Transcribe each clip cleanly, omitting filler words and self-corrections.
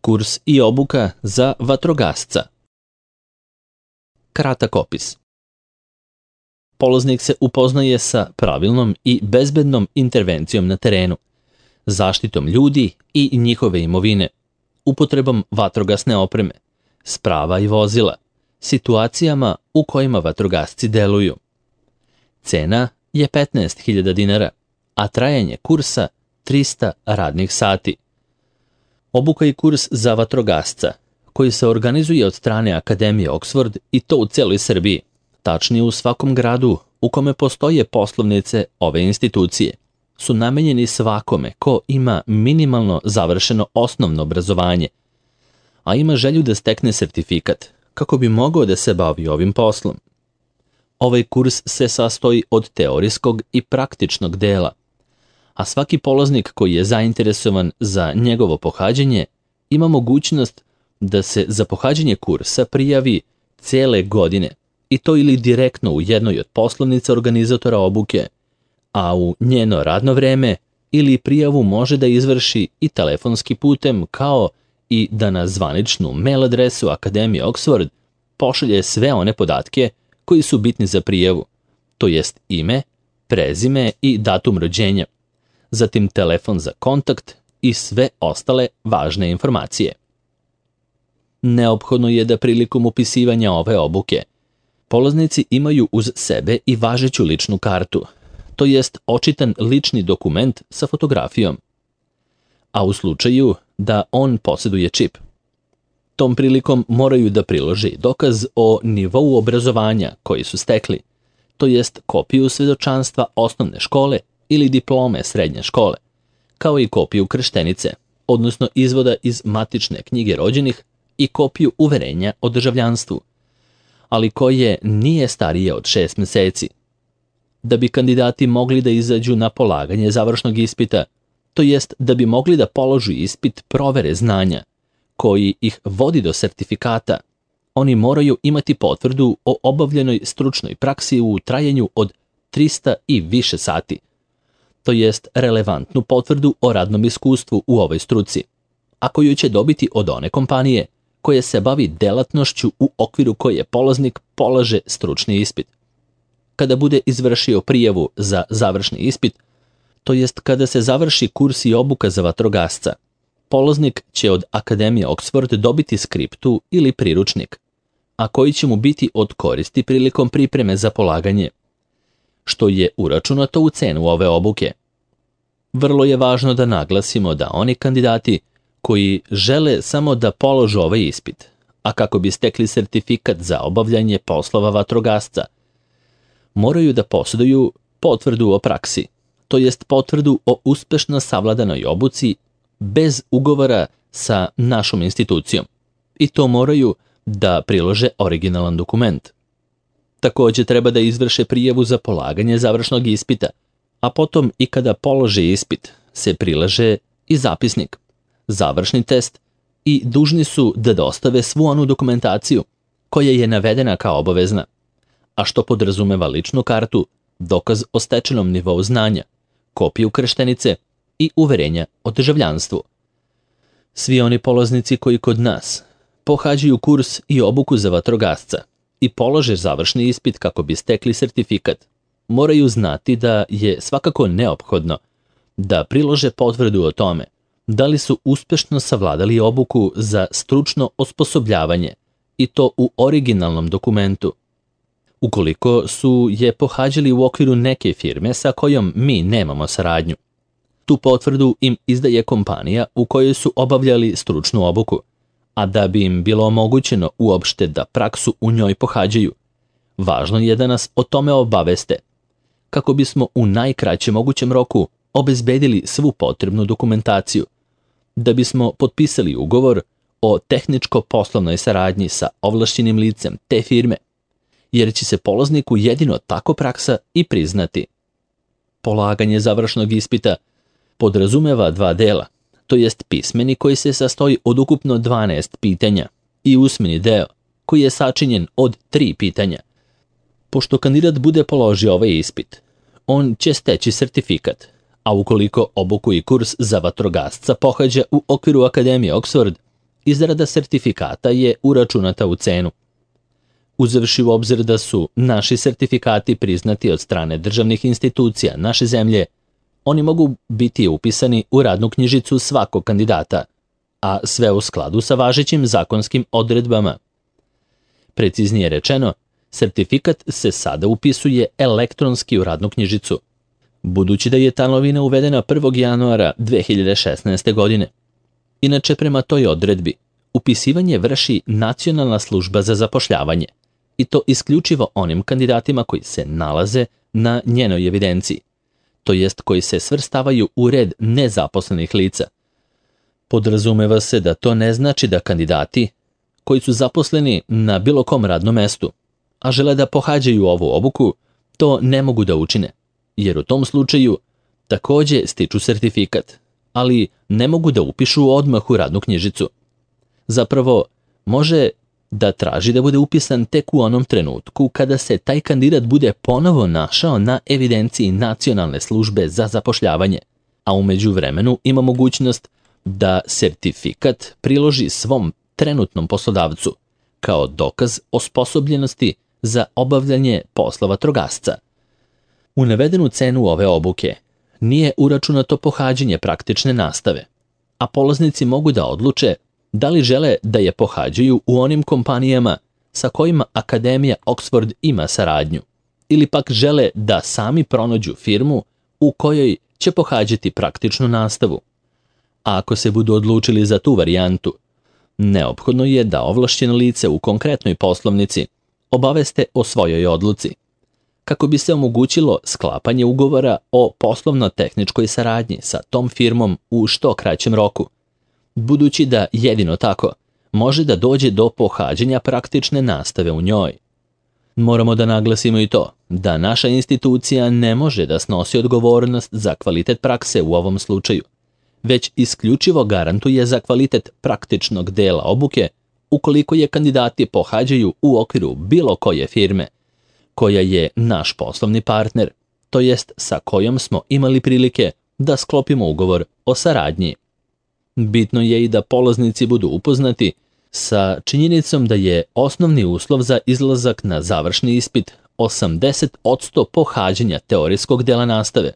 Kurs i obuka za vatrogasca. Kratak opis. Polaznik se upoznaje sa pravilnom i bezbednom intervencijom na terenu, zaštitom ljudi i njihove imovine, upotrebom vatrogasne opreme, sprava i vozila, situacijama u kojima vatrogasci deluju. Cena je 15.000 dinara, a trajanje kursa 300 radnih sati. Obuka i kurs za vatrogasca, koji se organizuje od strane Akademije Oxford i to u celoj Srbiji, tačnije u svakom gradu u kome postoje poslovnice ove institucije, su namenjeni svakome ko ima minimalno završeno osnovno obrazovanje, a ima želju da stekne sertifikat kako bi mogao da se bavi ovim poslom. Ovaj kurs se sastoji od teorijskog i praktičnog dela, a svaki polaznik koji je zainteresovan za njegovo pohađanje ima mogućnost da se za pohađanje kursa prijavi cele godine, i to ili direktno u jednoj od poslovnica organizatora obuke, a u njeno radno vreme ili prijavu može da izvrši i telefonski putem, kao i da na zvaničnu mail adresu Akademije Oxford pošalje sve one podatke koji su bitni za prijavu, to jest ime, prezime i datum rođenja, zatim telefon za kontakt i sve ostale važne informacije. Neophodno je da prilikom upisivanja ove obuke polaznici imaju uz sebe i važeću ličnu kartu, to jest očitan lični dokument sa fotografijom, a u slučaju da on posjeduje čip. Tom prilikom moraju da prilože dokaz o nivou obrazovanja koji su stekli, to jest kopiju svedočanstva osnovne škole ili diplome srednje škole, kao i kopiju krštenice, odnosno izvoda iz matične knjige rođenih i kopiju uverenja o državljanstvu, ali koje nije starije od 6 meseci. Da bi kandidati mogli da izađu na polaganje završnog ispita, to jest da bi mogli da položu ispit provere znanja, koji ih vodi do sertifikata, oni moraju imati potvrdu o obavljenoj stručnoj praksi u trajanju od 300 i više sati, to jest relevantnu potvrdu o radnom iskustvu u ovoj struci, a koju će dobiti od one kompanije koja se bavi delatnošću u okviru koje polaznik polaže stručni ispit. Kada bude izvršio prijavu za završni ispit, to jest kada se završi kurs i obuka za vatrogasca, polaznik će od Akademije Oxford dobiti skriptu ili priručnik, a koji će mu biti od koristi prilikom pripreme za polaganje, što je uračunato u cenu ove obuke. Vrlo je važno da naglasimo da oni kandidati koji žele samo da položu ovaj ispit, a kako bi stekli sertifikat za obavljanje poslova vatrogasca, moraju da posjeduju potvrdu o praksi, to jest potvrdu o uspešno savladanoj obuci bez ugovora sa našom institucijom, i to moraju da prilože originalan dokument. Takođe treba da izvrše prijavu za polaganje završnog ispita, a potom i kada polože ispit se prilaže i zapisnik, završni test i dužni su da dostave svu onu dokumentaciju koja je navedena kao obavezna, a što podrazumeva ličnu kartu, dokaz o stečenom nivou znanja, kopiju krštenice i uverenja o državljanstvu. Svi oni polaznici koji kod nas pohađaju kurs i obuku za vatrogasca i polože završni ispit kako bi stekli sertifikat, moraju znati da je svakako neophodno da prilože potvrdu o tome da li su uspešno savladali obuku za stručno osposobljavanje, i to u originalnom dokumentu. Ukoliko su je pohađali u okviru neke firme sa kojom mi nemamo saradnju, tu potvrdu im izdaje kompanija u kojoj su obavljali stručnu obuku, a da bi im bilo omogućeno uopšte da praksu u njoj pohađaju, važno je da nas o tome obaveste, kako bismo u najkraćem mogućem roku obezbedili svu potrebnu dokumentaciju, da bismo potpisali ugovor o tehničko-poslovnoj saradnji sa ovlašćenim licem te firme, jer će se polazniku jedino tako praksa i priznati. Polaganje završnog ispita podrazumeva 2 dela, to jest pismeni koji se sastoji od ukupno 12 pitanja i usmeni deo koji je sačinjen od 3 pitanja. Pošto kandidat bude položio ovaj ispit, on će steći sertifikat, a ukoliko obuku i kurs za vatrogasca pohađa u okviru Akademije Oxford, izrada sertifikata je uračunata u cenu. Uzevši u obzir da su naši sertifikati priznati od strane državnih institucija naše zemlje, oni mogu biti upisani u radnu knjižicu svakog kandidata, a sve u skladu sa važećim zakonskim odredbama. Preciznije rečeno, sertifikat se sada upisuje elektronski u radnu knjižicu, budući da je ta novina uvedena 1. januara 2016. godine. Inače, prema toj odredbi, upisivanje vrši Nacionalna služba za zapošljavanje, i to isključivo onim kandidatima koji se nalaze na njenoj evidenciji, to jest koji se svrstavaju u red nezaposlenih lica. Podrazumeva se da to ne znači da kandidati koji su zaposleni na bilo kom radnom mestu, a žele da pohađaju ovu obuku, to ne mogu da učine, jer u tom slučaju takođe stiču sertifikat, ali ne mogu da upišu odmah u radnu knjižicu. Zapravo, može da traži da bude upisan tek u onom trenutku kada se taj kandidat bude ponovo našao na evidenciji Nacionalne službe za zapošljavanje, a u međuvremenu ima mogućnost da sertifikat priloži svom trenutnom poslodavcu kao dokaz osposobljenosti za obavljanje posla vatrogasca. U navedenu cenu ove obuke nije uračunato pohađanje praktične nastave, a polaznici mogu da odluče da li žele da je pohađaju u onim kompanijama sa kojima Akademija Oxford ima saradnju, ili pak žele da sami pronađu firmu u kojoj će pohađati praktičnu nastavu. A ako se budu odlučili za tu varijantu, neophodno je da ovlašćeno lice u konkretnoj poslovnici obaveste o svojoj odluci, kako bi se omogućilo sklapanje ugovora o poslovno-tehničkoj saradnji sa tom firmom u što kraćem roku, budući da jedino tako može da dođe do pohađanja praktične nastave u njoj. Moramo da naglasimo i to da naša institucija ne može da snosi odgovornost za kvalitet prakse u ovom slučaju, već isključivo garantuje za kvalitet praktičnog dela obuke ukoliko je kandidati pohađaju u okviru bilo koje firme, koja je naš poslovni partner, to jest sa kojom smo imali prilike da sklopimo ugovor o saradnji. Bitno je i da polaznici budu upoznati sa činjenicom da je osnovni uslov za izlazak na završni ispit 80% pohađanja teorijskog dela nastave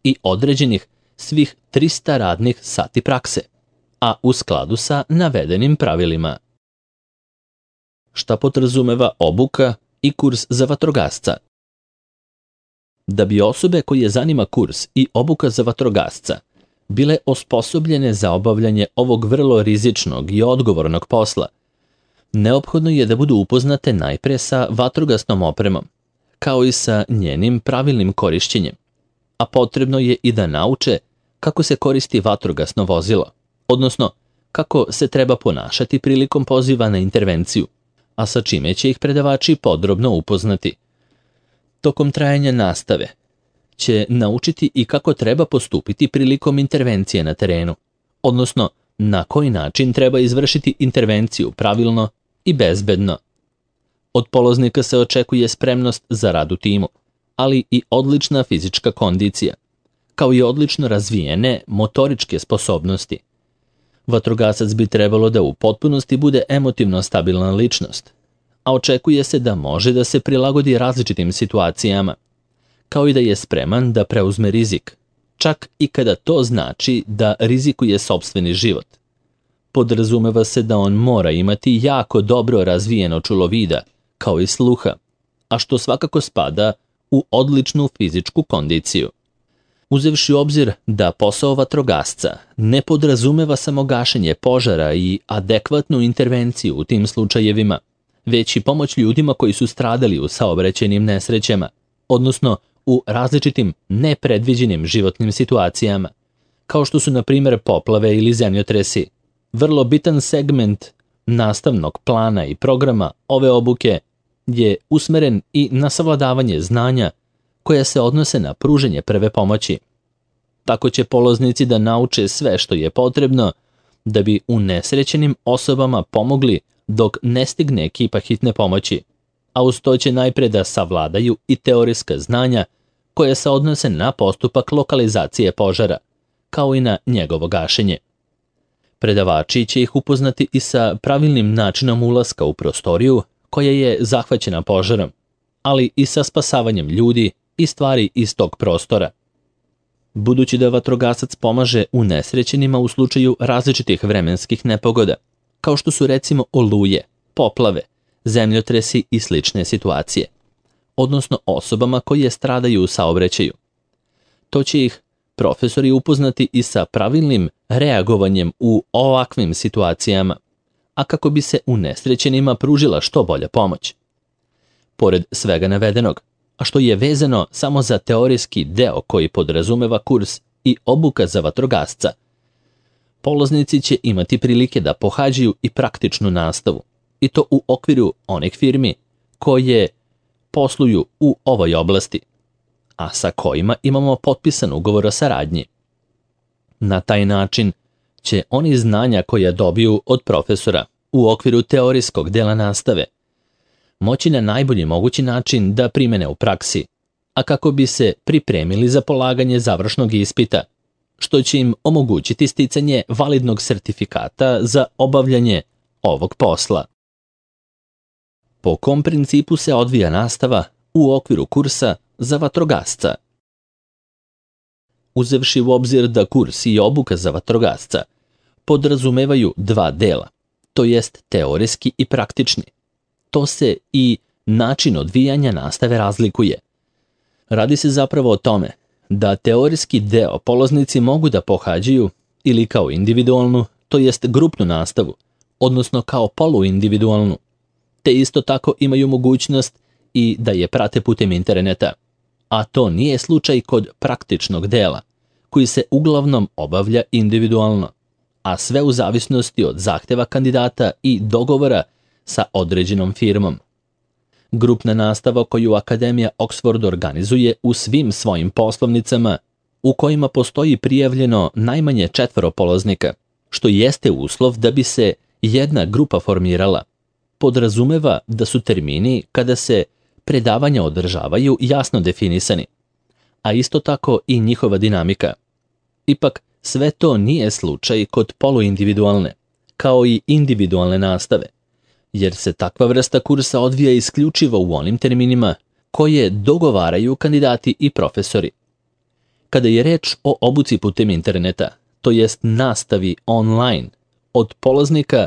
i određenih svih 300 radnih sati prakse, a u skladu sa navedenim pravilima. Šta podrazumeva obuka i kurs za vatrogasca? Da bi osobe koje zanima kurs i obuka za vatrogasca bile osposobljene za obavljanje ovog vrlo rizičnog i odgovornog posla, neophodno je da budu upoznate najpre sa vatrogasnom opremom, kao i sa njenim pravilnim korišćenjem, a potrebno je i da nauče kako se koristi vatrogasno vozilo, odnosno kako se treba ponašati prilikom poziva na intervenciju, a sa čime će ih predavači podrobno upoznati. Tokom trajanja nastave će naučiti i kako treba postupiti prilikom intervencije na terenu, odnosno na koji način treba izvršiti intervenciju pravilno i bezbedno. Od polaznika se očekuje spremnost za rad u timu, ali i odlična fizička kondicija, kao i odlično razvijene motoričke sposobnosti. Vatrogasac bi trebalo da u potpunosti bude emotivno stabilna ličnost, a očekuje se da može da se prilagodi različitim situacijama, kao i da je spreman da preuzme rizik, čak i kada to znači da rizikuje sopstveni život. Podrazumeva se da on mora imati jako dobro razvijeno čulo vida, kao i sluha, a što svakako spada u odličnu fizičku kondiciju. Uzevši u obzir da posao vatrogasca ne podrazumeva samo gašenje požara i adekvatnu intervenciju u tim slučajevima, već i pomoć ljudima koji su stradali u saobraćajnim nesrećama, odnosno u različitim nepredviđenim životnim situacijama, kao što su na primjer poplave ili zemljotresi. Vrlo bitan segment nastavnog plana i programa ove obuke je usmeren i na savladavanje znanja koja se odnose na pružanje prve pomoći. Tako će polaznici da nauče sve što je potrebno da bi unesrećenim osobama pomogli dok ne stigne ekipa hitne pomoći, a uz to će najpre da savladaju i teorijska znanja koja se odnose na postupak lokalizacije požara, kao i na njegovo gašenje. Predavači će ih upoznati i sa pravilnim načinom ulaska u prostoriju koja je zahvaćena požarom, ali i sa spasavanjem ljudi i stvari iz tog prostora. Budući da vatrogasac pomaže unesrećenima u slučaju različitih vremenskih nepogoda, kao što su recimo oluje, poplave, zemljotresi i slične situacije, odnosno osobama koje stradaju u saobraćaju. To će ih profesori upoznati i sa pravilnim reagovanjem u ovakvim situacijama, a kako bi se unesrećenima pružila što bolja pomoć. Pored svega navedenog, a što je vezano samo za teorijski deo koji podrazumeva kurs i obuka za vatrogasca, polaznici će imati prilike da pohađaju i praktičnu nastavu, i to u okviru onih firmi koje posluju u ovoj oblasti, a sa kojima imamo potpisan ugovor o saradnji. Na taj način će oni znanja koja dobiju od profesora u okviru teorijskog dela nastave moći na najbolji mogući način da primene u praksi, a kako bi se pripremili za polaganje završnog ispita, što će im omogućiti sticanje validnog sertifikata za obavljanje ovog posla. Po kom principu se odvija nastava u okviru kursa za vatrogasca? Uzevši u obzir da kurs i obuka za vatrogasca podrazumevaju dva dela, to jest teorijski i praktični, to se i način odvijanja nastave razlikuje. Radi se zapravo o tome da teorijski deo polaznici mogu da pohađaju ili kao individualnu, to jest grupnu nastavu, odnosno kao poluindividualnu, te isto tako imaju mogućnost i da je prate putem interneta, a to nije slučaj kod praktičnog dela, koji se uglavnom obavlja individualno, a sve u zavisnosti od zahteva kandidata i dogovora sa određenom firmom. Grupna nastava koju Akademija Oxford organizuje u svim svojim poslovnicama, u kojima postoji prijavljeno najmanje 4 polaznika, što jeste uslov da bi se jedna grupa formirala, podrazumeva da su termini kada se predavanja održavaju jasno definisani, a isto tako i njihova dinamika. Ipak, sve to nije slučaj kod poluindividualne, kao i individualne nastave, jer se takva vrsta kursa odvija isključivo u onim terminima koje dogovaraju kandidati i profesori. Kada je reč o obuci putem interneta, to jest nastavi online, od polaznika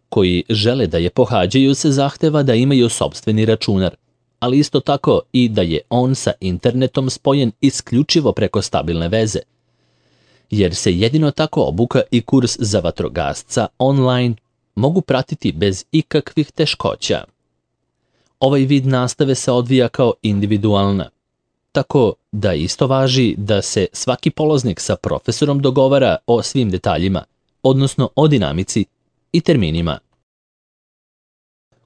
koji žele da je pohađaju se zahteva da imaju sopstveni računar, ali isto tako i da je on sa internetom spojen isključivo preko stabilne veze, jer se jedino tako obuka i kurs za vatrogasca online mogu pratiti bez ikakvih teškoća. Ovaj vid nastave se odvija kao individualna, tako da isto važi da se svaki polaznik sa profesorom dogovara o svim detaljima, odnosno o dinamici i terminima.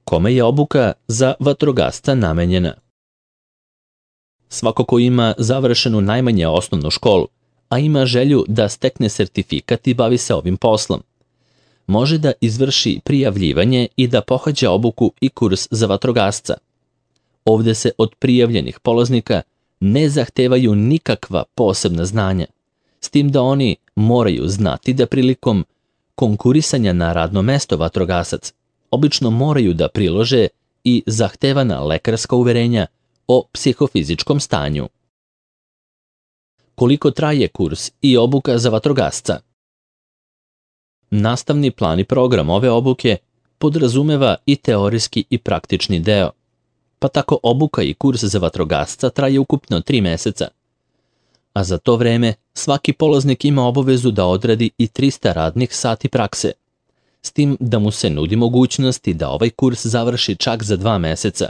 Kome je obuka za vatrogasca namenjena? Svako ko ima završenu najmanje osnovnu školu, a ima želju da stekne sertifikat i bavi se ovim poslom, može da izvrši prijavljivanje i da pohađa obuku i kurs za vatrogasca. Ovde se od prijavljenih polaznika ne zahtevaju nikakva posebna znanja, s tim da oni moraju znati da prilikom konkurisanja na radno mesto vatrogasac obično moraju da prilože i zahtevana lekarska uverenja o psihofizičkom stanju. Koliko traje kurs i obuka za vatrogasca? Nastavni plan i program ove obuke podrazumeva i teorijski i praktični deo, pa tako obuka i kurs za vatrogasca traje ukupno 3 meseca. A za to vreme svaki polaznik ima obavezu da odradi i 300 radnih sati prakse, s tim da mu se nudi mogućnosti da ovaj kurs završi čak za 2 meseca,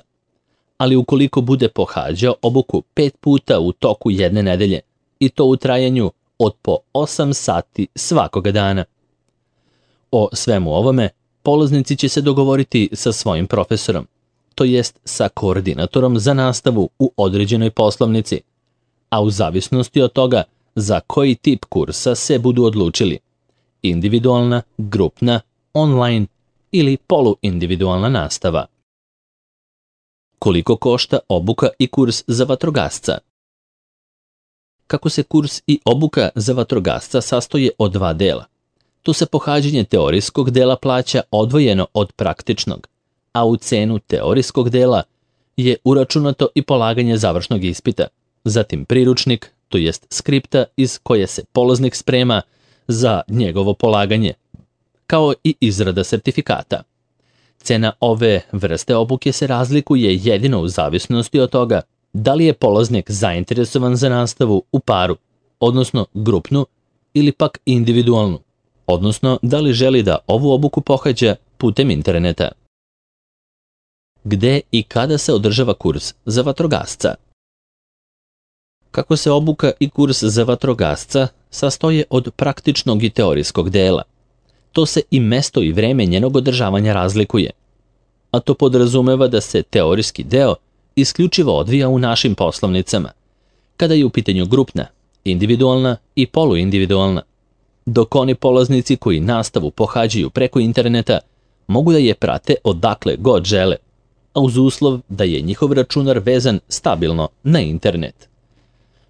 ali ukoliko bude pohađao obuku 5 puta u toku jedne nedelje, i to u trajanju od po 8 sati svakoga dana. O svemu ovome polaznici će se dogovoriti sa svojim profesorom, to jest sa koordinatorom za nastavu u određenoj poslovnici, a u zavisnosti od toga za koji tip kursa se budu odlučili, individualna, grupna, online ili poluindividualna nastava. Koliko košta obuka i kurs za vatrogasca? Kako se kurs i obuka za vatrogasca sastoje od 2 dela, Tu se pohađanje teorijskog dela plaća odvojeno od praktičnog, a u cenu teorijskog dela je uračunato i polaganje završnog ispita, zatim priručnik, to jest skripta iz koje se polaznik sprema za njegovo polaganje, kao i izrada sertifikata. Cena ove vrste obuke se razlikuje jedino u zavisnosti od toga da li je polaznik zainteresovan za nastavu u paru, odnosno grupnu, ili pak individualnu, odnosno da li želi da ovu obuku pohađa putem interneta. Gde i kada se održava kurs za vatrogasca? Kako se obuka i kurs za vatrogasca sastoje od praktičnog i teorijskog dela, to se i mesto i vreme njenog održavanja razlikuje, a to podrazumeva da se teorijski deo isključivo odvija u našim poslovnicama, kada je u pitanju grupna, individualna i poluindividualna, dok oni polaznici koji nastavu pohađaju preko interneta mogu da je prate odakle god žele, a uz uslov da je njihov računar vezan stabilno na internet.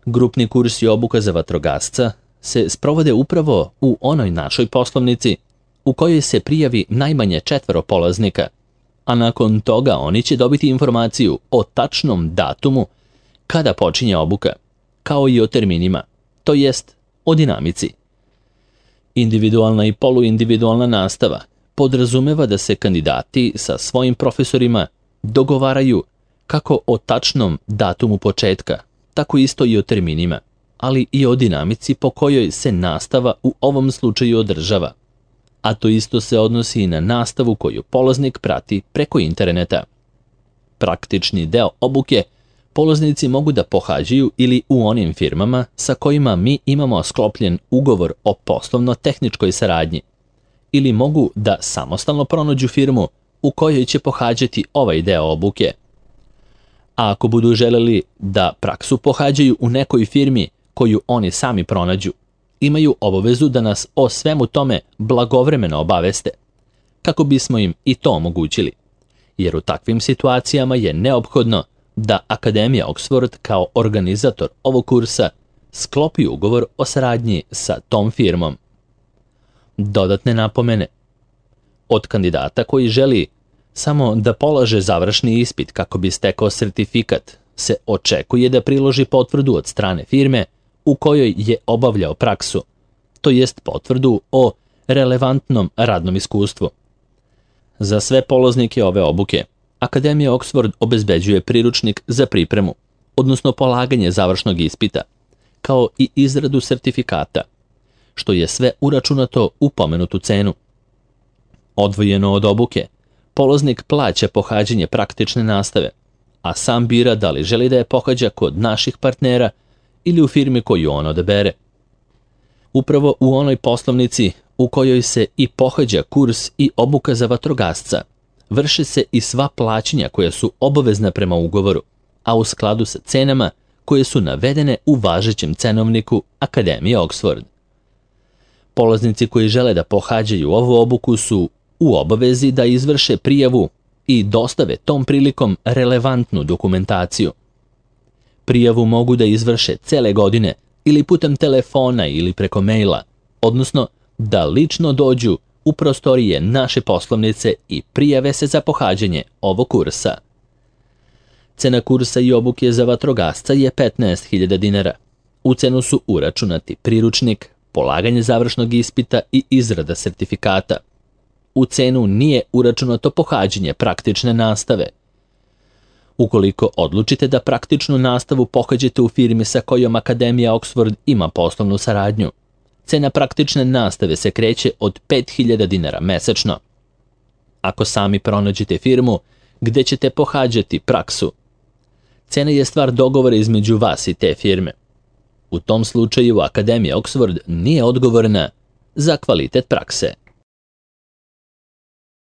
Grupni kurs i obuka za vatrogasca se sprovode upravo u onoj našoj poslovnici u kojoj se prijavi najmanje 4 polaznika, a nakon toga oni će dobiti informaciju o tačnom datumu kada počinje obuka, kao i o terminima, to jest o dinamici. Individualna i poluindividualna nastava podrazumeva da se kandidati sa svojim profesorima dogovaraju kako o tačnom datumu početka, tako isto i o terminima, ali i o dinamici po kojoj se nastava u ovom slučaju održava. A to isto se odnosi i na nastavu koju polaznik prati preko interneta. Praktični deo obuke polaznici mogu da pohađaju ili u onim firmama sa kojima mi imamo sklopljen ugovor o poslovno-tehničkoj saradnji, ili mogu da samostalno pronađu firmu u kojoj će pohađati ovaj deo obuke. A ako budu želeli da praksu pohađaju u nekoj firmi koju oni sami pronađu, imaju obavezu da nas o svemu tome blagovremeno obaveste, kako bismo im i to omogućili, jer u takvim situacijama je neophodno da Akademija Oxford kao organizator ovog kursa sklopi ugovor o saradnji sa tom firmom. Dodatne napomene. Od kandidata koji želi samo da polaže završni ispit kako bi stekao sertifikat se očekuje da priloži potvrdu od strane firme u kojoj je obavljao praksu, to jest potvrdu o relevantnom radnom iskustvu. Za sve polaznike ove obuke, Akademija Oxford obezbeđuje priručnik za pripremu, odnosno polaganje završnog ispita, kao i izradu sertifikata, što je sve uračunato u pomenutu cenu. Odvojeno od obuke, polaznik plaća pohađanje praktične nastave, a sam bira da li želi da je pohađa kod naših partnera ili u firmi koju on odabere. Upravo u onoj poslovnici u kojoj se i pohađa kurs i obuka za vatrogasca, vrše se i sva plaćanja koja su obavezna prema ugovoru, a u skladu sa cenama koje su navedene u važećem cenovniku Akademije Oxford. Polaznici koji žele da pohađaju ovu obuku su u obavezi da izvrše prijavu i dostave tom prilikom relevantnu dokumentaciju. Prijavu mogu da izvrše cele godine ili putem telefona ili preko maila, odnosno da lično dođu u prostorije naše poslovnice i prijave se za pohađanje ovog kursa. Cena kursa i obuke za vatrogasca je 15.000 dinara. U cenu su uračunati priručnik, polaganje završnog ispita i izrada sertifikata. U cenu nije uračunato pohađanje praktične nastave. Ukoliko odlučite da praktičnu nastavu pohađate u firmi sa kojom Akademija Oxford ima poslovnu saradnju, cena praktične nastave se kreće od 5.000 dinara mesečno. Ako sami pronađete firmu gde ćete pohađati praksu, cena je stvar dogovora između vas i te firme. U tom slučaju Akademija Oxford nije odgovorna za kvalitet prakse.